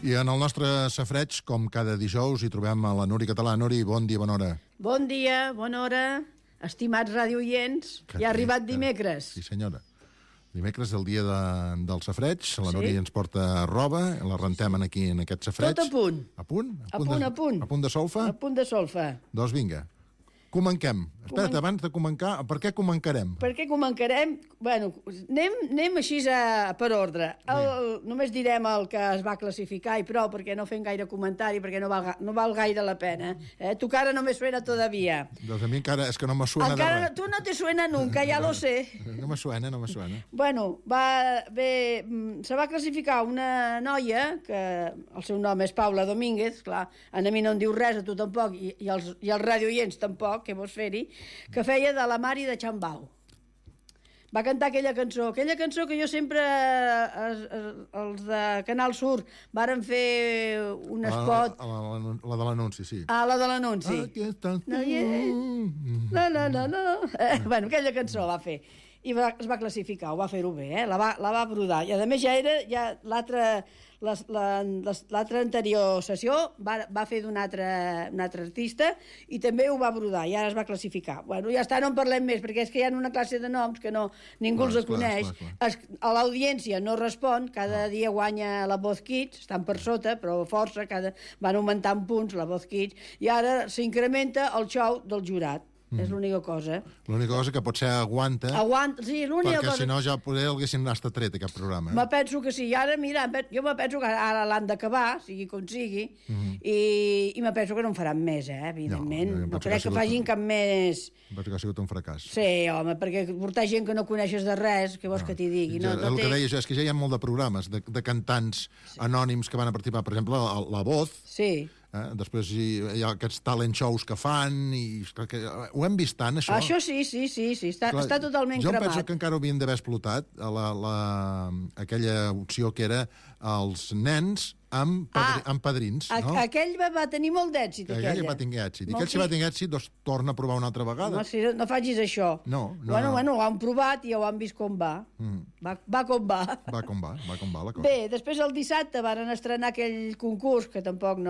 I en el nostre safreig, com cada dijous, hi trobem a la Nuri Català. Nuri, bon dia, bona hora. Bon dia, bona hora, estimats radioients. Ja ha arribat dimecres. Sí, senyora. Dimecres, el dia del safreig. La Nuri ens porta roba, la rentem aquí en aquest safreig. Tot a punt. A punt? A punt. A punt de solfa? A punt de solfa. Doncs vinga. Comenquem. Espera't, abans de comencar, per què comencarem? Per què comencarem? Bueno, anem així per ordre. Només direm el que es va classificar i prou, perquè no fem gaire comentari, perquè no val gaire la pena. Tu cara no me suena todavía. Doncs a mi encara és que no me suena de res. Tu no te suena nunca, ja lo sé. No me suena. Bueno, se va classificar una noia, que el seu nom és Paula Domínguez, clar, a mi no em diu res, a tu tampoc, i els radioients tampoc, que vols fer-hi, que feia de la Mari de Chambau. Va cantar aquella cançó que jo sempre, els de Canal Sur, varen fer un spot... La de l'anunci, sí. La de l'anunci. Aquí estàs tu. No. Bueno, aquella cançó va fer. I es va classificar, ho va fer-ho bé, la va brodar. I a més ja era l'altra anterior sessió va fer d'un altre artista i també ho va brodar i ara es va classificar. Bueno, ja està, no en parlem més, perquè és que hi ha una classe de noms que ningú els coneix. A l'audiència no respon, cada dia guanya la Voz Kids, estan per sota, però força, van augmentant punts la Voz Kids, i ara s'incrementa el xou del jurat. És l'única cosa. L'única cosa que potser aguanta, sí, l'única cosa... perquè si no ja poder l'haguessin estat tret aquest programa. Me penso que sí, i ara, mira, jo me penso que ara l'han d'acabar, sigui com sigui, i me penso que no en faran més, evidentment. No crec que facin cap més... Penso que ha sigut un fracàs. Sí, home, perquè portar gent que no coneixes de res, què vols que t'hi digui? El que deia jo és que ja hi ha molt de programes de cantants anònims que van a participar, per exemple, La Voz. Sí. Després hi ha aquests talent shows que fan i ho hem vist tant, això. Això sí, està totalment cremat. Jo penso que encara ho havien d'haver explotat aquella opció que era els nens amb padrins, no? Aquell va tenir molt d'èxit, aquell va tenir èxit. I aquell si va tenir èxit, doncs torna a provar una altra vegada. No facis això. Bueno, ho han provat i ho han vist com va. Va com va. Va com va la cosa. Bé, després el dissabte van estrenar aquell concurs que tampoc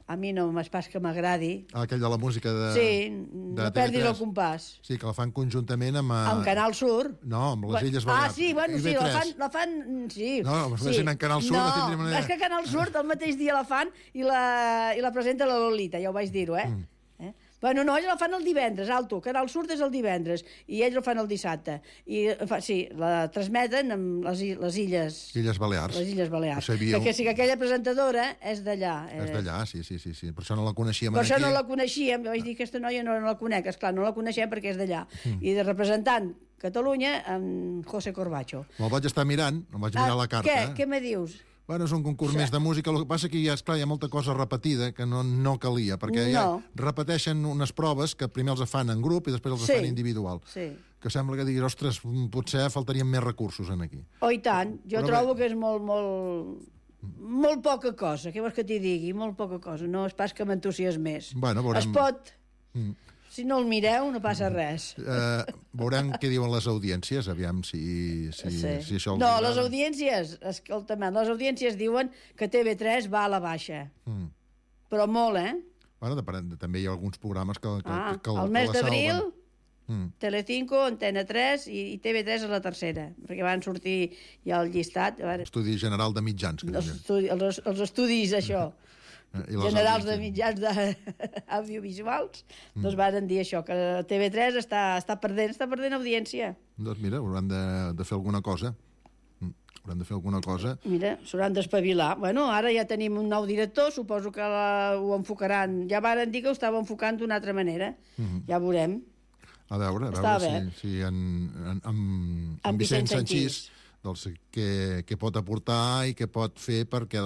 a mi no és pas que m'agradi. Aquell de la música de... Sí, no perdis el compàs. Sí, que la fan conjuntament amb... Amb Canal Sur. No, amb les Illes Balears. Sí, bueno, sí, la fan... Sí. No, si en Canal Sur no tindríem manera... És que Canal Sur el mateix dia la fan i la presenta la Lolita, ja ho vaig dir-ho, Bueno, no, ells la fan el divendres, Canal Sur és el divendres, i ells la fan el dissabte. I, sí, la transmeten amb les Illes... Illes Balears. Les Illes Balears. Perquè sí que aquella presentadora és d'allà. És d'allà, sí. Per això no la coneixíem. Per això no la coneixíem. Jo vaig dir, aquesta noia no la conec. Esclar, no la coneixem perquè és d'allà. I de representant Catalunya, amb José Corbacho. Me'l vaig estar mirant, em vaig mirar la carta. Què me dius? Bueno, és un concurs més de música, el que passa que hi ha molta cosa repetida que no calia, perquè ja repeteixen unes proves que primer els fan en grup i després els fan individual. Sí. Que sembla que diguis, ostres, potser faltarien més recursos aquí. Oh, i tant. Jo trobo que és molt poca cosa, què vols que t'hi digui? Molt poca cosa, no és pas que m'entusiasmés. Bueno, veurem... Es pot... Si no el mireu, no passa res. Veurem què diuen les audiències, aviam si això... No, les audiències, escolta'm, les audiències diuen que TV3 va a la baixa. Però molt, Bueno, també hi ha alguns programes que el mes d'abril, Telecinco, Antena 3 i TV3 és la tercera, perquè van sortir ja el llistat. Estudi General de Mitjans. Els estudis, això. Generals de mitjans audiovisuals, doncs van dir això, que TV3 està perdent audiència. Doncs mira, hauran de fer alguna cosa. Mira, s'hauran d'espavilar. Bueno, ara ja tenim un nou director, suposo que ho enfocaran. Ja varen dir que ho estava enfocant d'una altra manera. Ja veurem. A veure si en Vicent Sanchís què pot aportar i què pot fer perquè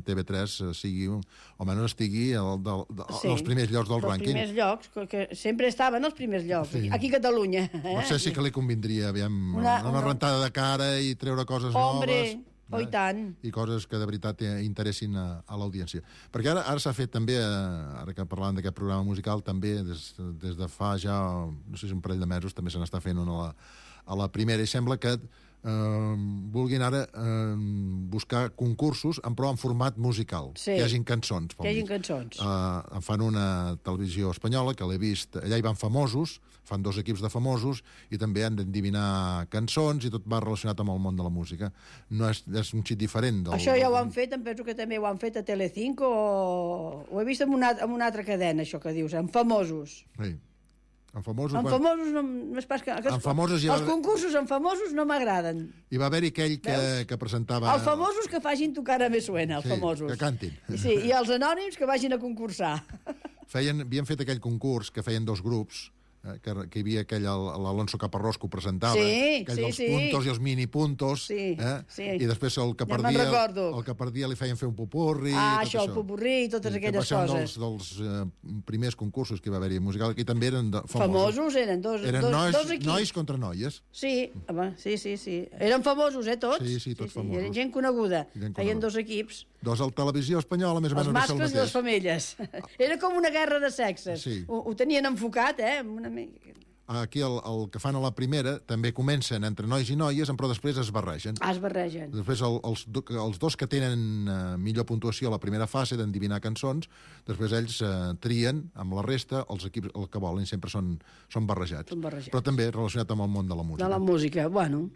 TV3 sigui, o almenys estigui als primers llocs del rànquing. Els primers llocs, que sempre estaven als primers llocs, aquí a Catalunya. No sé si que li convindria, una rentada de cara i treure coses noves. Oh, i tant. I coses que de veritat interessin a l'audiència. Perquè ara s'ha fet també, ara que parlàvem d'aquest programa musical, també des de fa ja, no sé si un parell de mesos, també se n'està fent una a la primera, i sembla que vulguin ara buscar concursos, però en format musical, que hi hagin cançons. Que hi hagin cançons. En fan una televisió espanyola, que l'he vist, allà hi van famosos, fan 2 equips de famosos, i també han d'endevinar cançons, i tot va relacionat amb el món de la música. No és un xic diferent. Això ja ho han fet, em penso que també ho han fet a Telecinco, ho he vist en una altra cadena, això que dius, en famosos. Sí. En famosos no és pas que... Els concursos en famosos no m'agraden. Hi va haver-hi aquell que presentava... Els famosos que facin Tu cara me suena, els famosos. Que cantin. Sí, i els anònims que vagin a concursar. Havien fet aquell concurs que feien 2 grups, que hi havia aquell, l'Alonso Caparrós, que ho presentava, aquells puntos i els mini-puntos, i després el que perdia li feien fer un pupurri... això, el pupurri i totes aquelles coses. Va ser un dels primers concursos que hi va haver-hi musical, que també eren famosos. Famosos eren dos equips. Nois contra noies. Sí, sí. Eren famosos, tots? Sí, tots famosos. Eren gent coneguda. Feien 2 equips. 2 a la televisió espanyola, més o menys. Els mascles i les femelles. Era com una guerra de sexes. Ho tenien enfocat, Aquí el que fan a la primera també comencen entre nois i noies, però després es barregen. Es barregen. Després els 2 que tenen millor puntuació a la primera fase d'endevinar cançons, després ells trien amb la resta, els equips el que volen, sempre són barrejats. Però també relacionat amb el món de la música. De la música, bueno,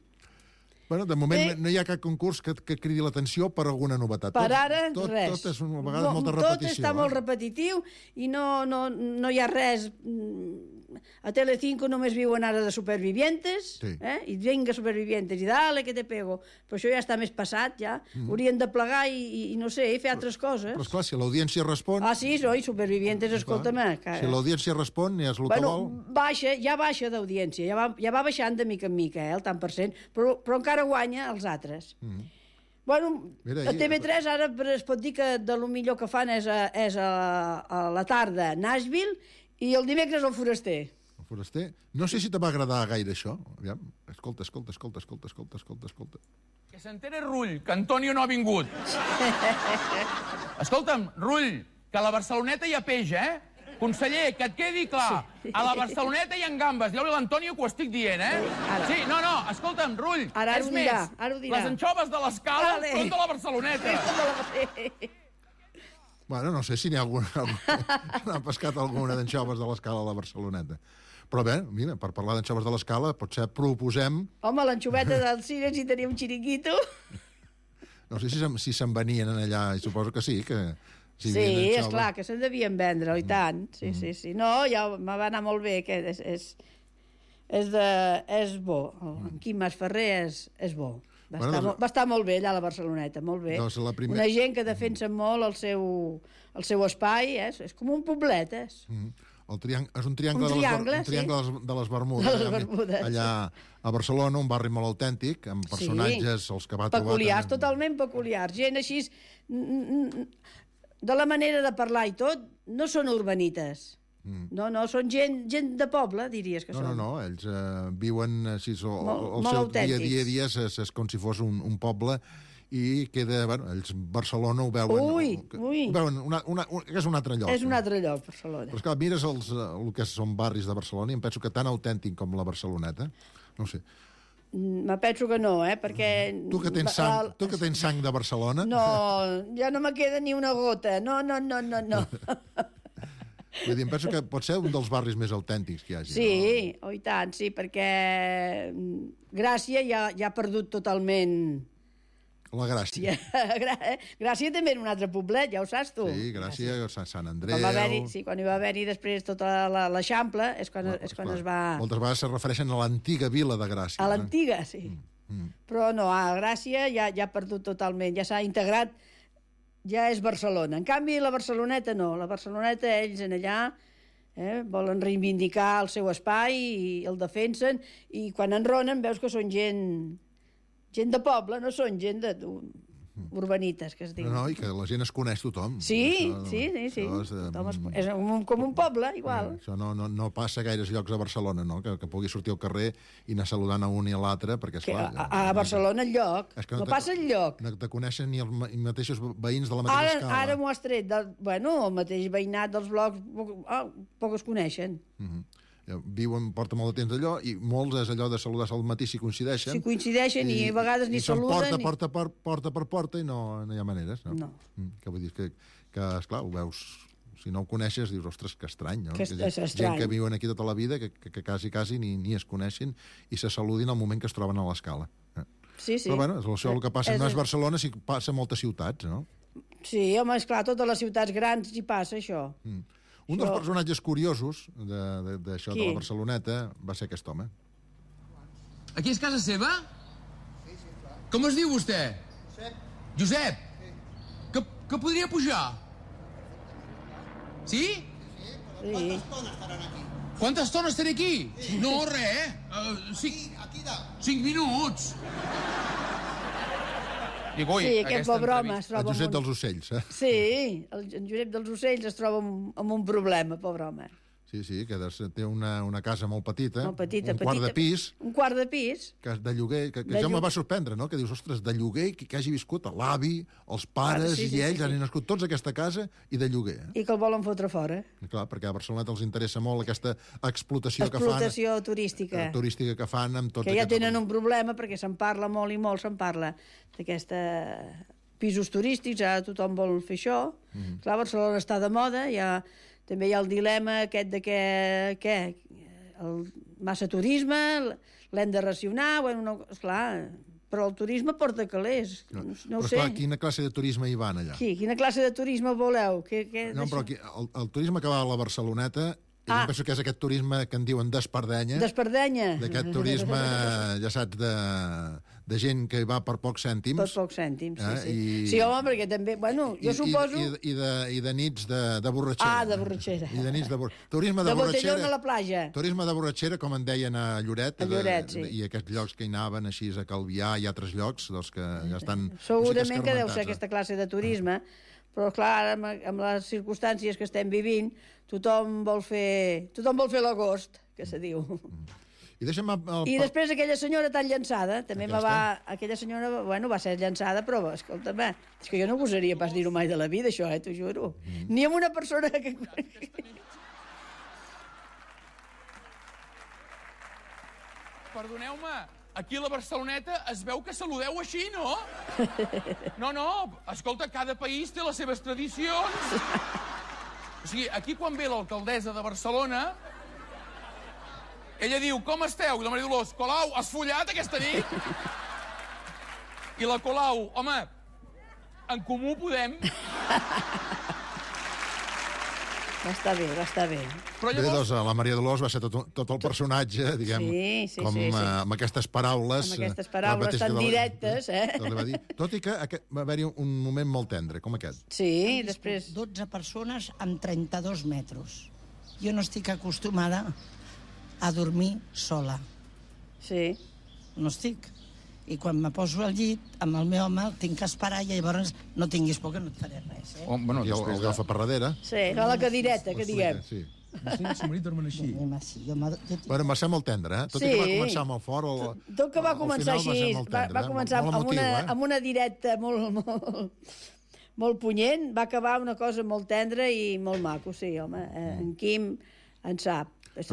de moment no hi ha cap concurs que cridi l'atenció per alguna novetat. Per ara, res. Tot és a vegades molta repetició. Tot està molt repetitiu i no hi ha res... A Telecinco només viuen ara de supervivientes, i venga supervivientes, i dale que te pego. Però això ja està més passat, ja. Haurien de plegar i no sé, fer altres coses. Però esclar, si l'audiència respon... Sí, supervivientes, escolta'm. Si l'audiència respon, és el que vol... Ja baixa d'audiència, ja va baixant de mica en mica, el tant per cent, però encara guanya els altres. Bueno, a TV3 ara es pot dir que de lo millor que fan és a la tarda Nashville i el dimecres el Foraster. El Foraster? No sé si te va agradar gaire això. Aviam. Escolta. Que s'entere Rull, que Antonio no ha vingut. Escolta'm, Rull, que a la Barceloneta hi ha peix, Conseller, que et quedi clar, a la Barceloneta hi ha gambes. Jo l'Antonio que ho estic dient, Sí, no, escolta'm, Rull, és més, les anxoves de l'Escala són de la Barceloneta. Bueno, no sé si n'hi ha alguna... N'ha pescat alguna d'anxoves de l'Escala a la Barceloneta. Però bé, mira, per parlar d'anxoves de l'Escala, potser proposem... Home, l'anxoveta del Cine, si tenia un xiringuito... No sé si se'n venien allà, i suposo que sí, que... Sí, esclar, que se'n devien vendre, i tant. Sí. No, ja me va anar molt bé, que és bo. En Quim Masferrer és bo. Va estar molt bé allà a la Barceloneta, molt bé. Una gent que defensa molt el seu espai, és com un poblet, és. És un triangle de les Bermudes. Allà a Barcelona, un barri molt autèntic, amb personatges, els que va trobar... Peculiars, totalment peculiars. Gent així, de la manera de parlar i tot, no són urbanites. No, són gent de poble, diries que són. No, ells viuen així, el seu dia és com si fos un poble, i queda, ells Barcelona ho veuen... Ho veuen, és un altre lloc. És un altre lloc, Barcelona. Però esclar, mires el que són barris de Barcelona i em penso que tan autèntic com la Barceloneta, no sé. Me penso que no, perquè... Tu que tens sang de Barcelona... No, ja no me queda ni una gota. No. Vull dir, em penso que pot ser un dels barris més autèntics que hi hagi. Sí, i tant, sí, perquè Gràcia ja ha perdut totalment... La Gràcia. Gràcia també era un altre poblet, ja ho saps tu. Sí, Gràcia, Sant Andreu... Quan hi va haver-hi després tota l'Eixample, és quan es va... Moltes vegades se refereixen a l'antiga vila de Gràcia. A l'antiga, sí. Però no, a Gràcia ja ha perdut totalment, ja s'ha integrat, ja és Barcelona. En canvi, la Barceloneta no. La Barceloneta, ells en allà volen reivindicar el seu espai i el defensen, i quan enronen veus que són gent de poble, no són gent urbanites, que es diu. No, i que la gent es coneix tothom. Sí. És com un poble, igual. Això no passa a gaires llocs a Barcelona, no? Que pugui sortir al carrer i anar saludant a un i a l'altre, perquè, esclar... A Barcelona enlloc, no passa enlloc. No te coneixen ni els mateixos veïns de la mateixa escala. Ara m'ho has tret. El mateix veïnat dels blocs, poc es coneixen. viuen, porta molt de temps d'allò, i molts és allò de saludar al matí si coincideixen. Si coincideixen i a vegades ni saluden. I porta per porta i no hi ha maneres, no? No. Que vull dir que esclar, ho veus... Si no ho coneixes, dius, ostres, que estrany, no? Que és estrany. Gent que viuen aquí tota la vida, que quasi ni es coneixen i se saludin al moment que es troben a l'escala. Sí. Però, bueno, això el que passa no és Barcelona, sí que passa a moltes ciutats, no? Sí, home, esclar, totes les ciutats grans hi passa, això. Un dels personatges curiosos d'això de la Barceloneta va ser aquest home. Aquí és casa seva? Sí, clar. Com es diu vostè? Josep. Josep? Sí. Que podria pujar? Sí? Sí, però quanta estona estaran aquí? Quanta estona estaré aquí? Sí. No, res, Aquí dalt. 5 minuts. Dic, ui, Sí, aquest pobre home es troba El Josep dels Ocells, eh? Sí, el Josep dels Ocells es troba amb un problema, pobre home. Sí, que té una casa molt petita, Molt petita, un quart de pis, Un quart de pis. que de lloguer, que ja me va sorprendre, no? Que dius, ostres, de lloguer, que hagi viscut l'avi, els pares i ells han nascut tots a aquesta casa i de lloguer. I que el volen fotre fora. I clar, perquè a Barcelona els interessa molt aquesta explotació que fan. Explotació turística. Turística que fan amb tots que ja tenen un problema, perquè se'n parla molt i molt, se'n parla d'aquesta pisos turístics, ara tothom vol fer això. Clar, Barcelona està de moda, també hi ha el dilema aquest de que el massa turisme, l'hem de racionar, bueno, no, esclar, però el turisme porta calés, no ho sé. Però esclar, quina classe de turisme hi van allà? Quina classe de turisme voleu? No, però aquí, el turisme que va a la Barceloneta, jo penso que és aquest turisme que en diuen d'espardenya. D'espardenya. D'aquest turisme, ja saps, de gent que va per pocs cèntims. Per pocs cèntims, sí. Sí, home, perquè també, bueno, jo suposo... I de nits de borratxera. De borratxera. I de nits de borratxera. Turisme de borratxera. De botellón a la platja. Turisme de borratxera, com en deien a Lloret. A Lloret, sí. I aquests llocs que hi anaven, així a Calvià i altres llocs, doncs que ja estan... Segurament que deu ser aquesta classe de turisme, però clar, amb les circumstàncies que estem vivint, tothom vol fer l'agost, que se diu. I deixa'm... I després aquella senyora tan llançada, també aquella senyora, bueno, va ser llançada, però, escolta'm, és que jo no gosaria pas dir-ho mai de la vida, això, t'ho juro. Ni amb una persona que... Perdoneu-me, aquí a la Barceloneta es veu que saludeu així, no? No, escolta, cada país té les seves tradicions. O sigui, aquí quan ve l'alcaldessa de Barcelona, ella diu, com esteu? I la Maria Dolors, Colau, has follat aquesta nit? I la Colau, home, en Comú Podem... Va estar bé. Però llavors... la Maria Dolors va ser tot el personatge, diguem, amb aquestes paraules... Amb aquestes paraules tan directes, Tot i que va haver-hi un moment molt tendre, com aquest. Sí, després... 12 persones amb 32 metres. Jo no estic acostumada a dormir sola. Sí. No estic. I quan me poso al llit, amb el meu home, tinc que esperar i llavors no tinguis por que no et faré res, Bueno, i el agafa per darrere. Sí, a la cadireta, que diguem. Sí. El seu marit dormen així. Bueno, va ser molt tendre, Tot i que va començar molt fort. Tot que va començar així, va començar amb una directa molt punyent, va acabar una cosa molt tendra i molt maco, sí, home. En Quim en sap. És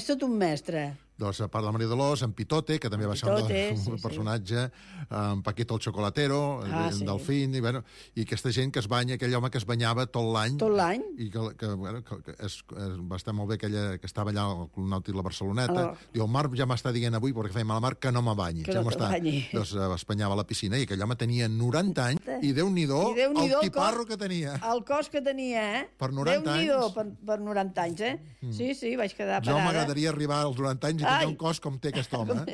tot un mestre. Doncs a part de la Maria Dolors, en Pitote, que també va ser un personatge, en Paquito el Chocolatero, en Delfín, i aquesta gent que es banya, aquell home que es banyava tot l'any. Tot l'any. I que va estar molt bé que estava allà al Club Nàutic la Barceloneta. Diu, el Marc ja m'està dient avui, perquè feia mal a Marc, que no me banyi. Que no te banyi. Doncs es banyava a la piscina i aquell home tenia 90 anys i Déu-n'hi-do el tiparro que tenia. El cos que tenia, Per 90 anys. Déu-n'hi-do per 90 anys, Sí, vaig quedar parada. Jo m'agradaria arribar als 90 anys i tenir un cos com té aquest home.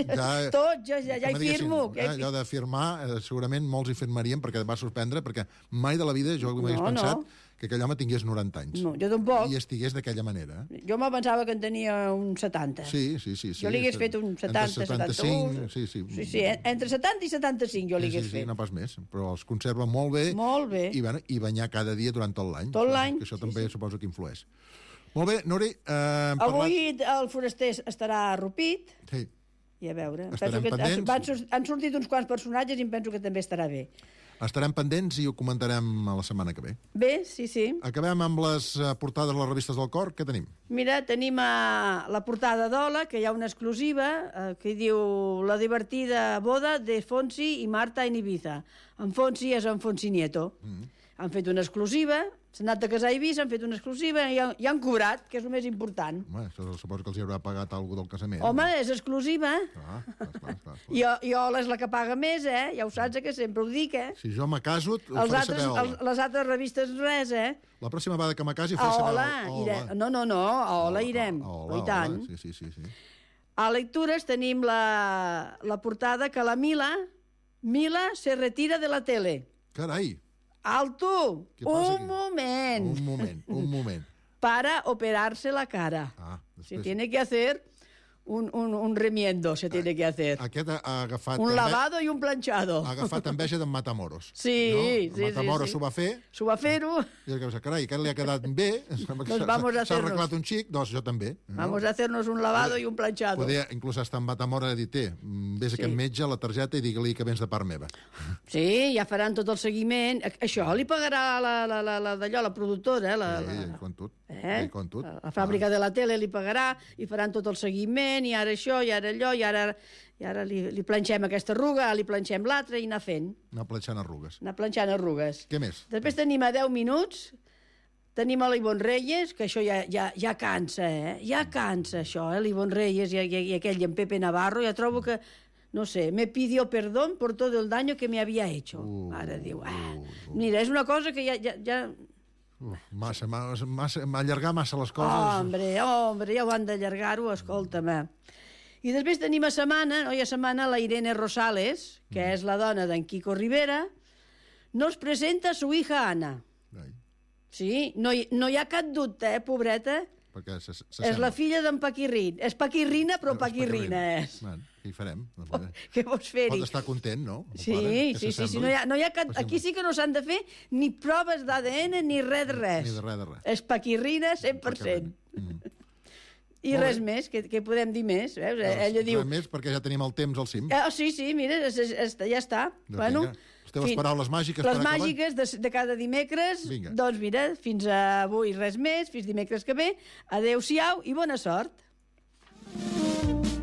Tot, ja hi firmo. Allò de firmar, segurament molts hi firmarien perquè va sorprendre, perquè mai de la vida jo m'hagués pensat que aquell home tingués 90 anys. No, jo tampoc. I estigués d'aquella manera. Jo me pensava que en tenia uns 70. Sí. Jo li hagués fet un 70, 71. Sí, entre 70 i 75 jo li hagués fet. Sí, no pas més, però els conserva molt bé. Molt bé. I banyar cada dia durant tot l'any. Tot l'any. Que això també suposo que influeix. Molt bé, Nuri... Avui el foraster estarà arrupit. Sí. I a veure, estarem pendents. Han sortit uns quants personatges i em penso que també estarà bé. Estarem pendents i ho comentarem a la setmana que ve. Bé, sí. Acabem amb les portades de les revistes del cor. Què tenim? Mira, tenim la portada d'Hola, que hi ha una exclusiva, que diu La divertida boda de Fonsi i Marta en Ibiza. En Fonsi és en Fonsi Nieto. Han fet una exclusiva, s'han anat a casar a Eivissa, han fet una exclusiva i han cobrat, que és el més important. Home, suposo que els hi haurà pagat alguna del casament. Home, és exclusiva. Clar. I Hola és la que paga més, Ja ho saps, que sempre ho dic, Si jo me caso, ho faré saber a Hola. Les altres revistes res, La pròxima vegada que me casi faré saber a Hola. No, a Hola irem. I tant. Sí. A Lectures tenim la portada que la Mila se retira de la tele. Carai! Alto! Un moment. Para operarse la cara. Se tiene que hacer un remiendo, se tiene que hacer. Aquest ha agafat... Un lavado i un planchado. Ha agafat enveja d'en Matamoros. Sí. Matamoros s'ho va fer. S'ho va fer-ho. I el que carai, que li ha quedat bé. S'ha arreglat un xic, doncs jo també. Vamos a hacernos un lavado i un planchado. Poder, inclús hasta en Matamoros ha dit, vés a aquest metge, la targeta, i digue-li que vens de part meva. Sí, ja faran tot el seguiment. Això li pagarà d'allò, la productora. Com tot. La fàbrica de la tele li pagarà i faran tot el seguiment, i ara això, i ara allò, i ara li planxem aquesta arruga, li planxem l'altra i anar fent. Anar planxant arrugues. Què més? Després tenim a 10 minuts, tenim a l'Ivonne Reyes, que això ja cansa, Ja cansa, això, l'Ivonne Reyes i aquell en Pepe Navarro, ja trobo que, no sé, me pidió perdón por todo el daño que me había hecho. Ara diu, mira, és una cosa que ja... Allargar massa les coses. Hombre, ja ho han d'allargar-ho, escolta'm. I després tenim a setmana la Irene Rosales, que és la dona d'en Quico Rivera, nos presenta su hija Ana. Sí, no hi ha cap dubte, pobreta. És la filla d'en Paquirrin. És Paquirrina, però Paquirrina és. Què hi farem? Què vols fer-hi? Pot estar content, no? Sí. No hi ha cap... Aquí sí que no s'han de fer ni proves d'ADN ni res de res. Ni de res de res. És Paquirrina 100%. I res més, què podem dir més? Ella diu... Res més, perquè ja tenim el temps al cim. Sí, mira, ja està. Bueno, les teves paraules màgiques per acabar. Les màgiques de cada dimecres. Doncs mira, fins avui res més, fins dimecres que ve. Adéu-siau i bona sort.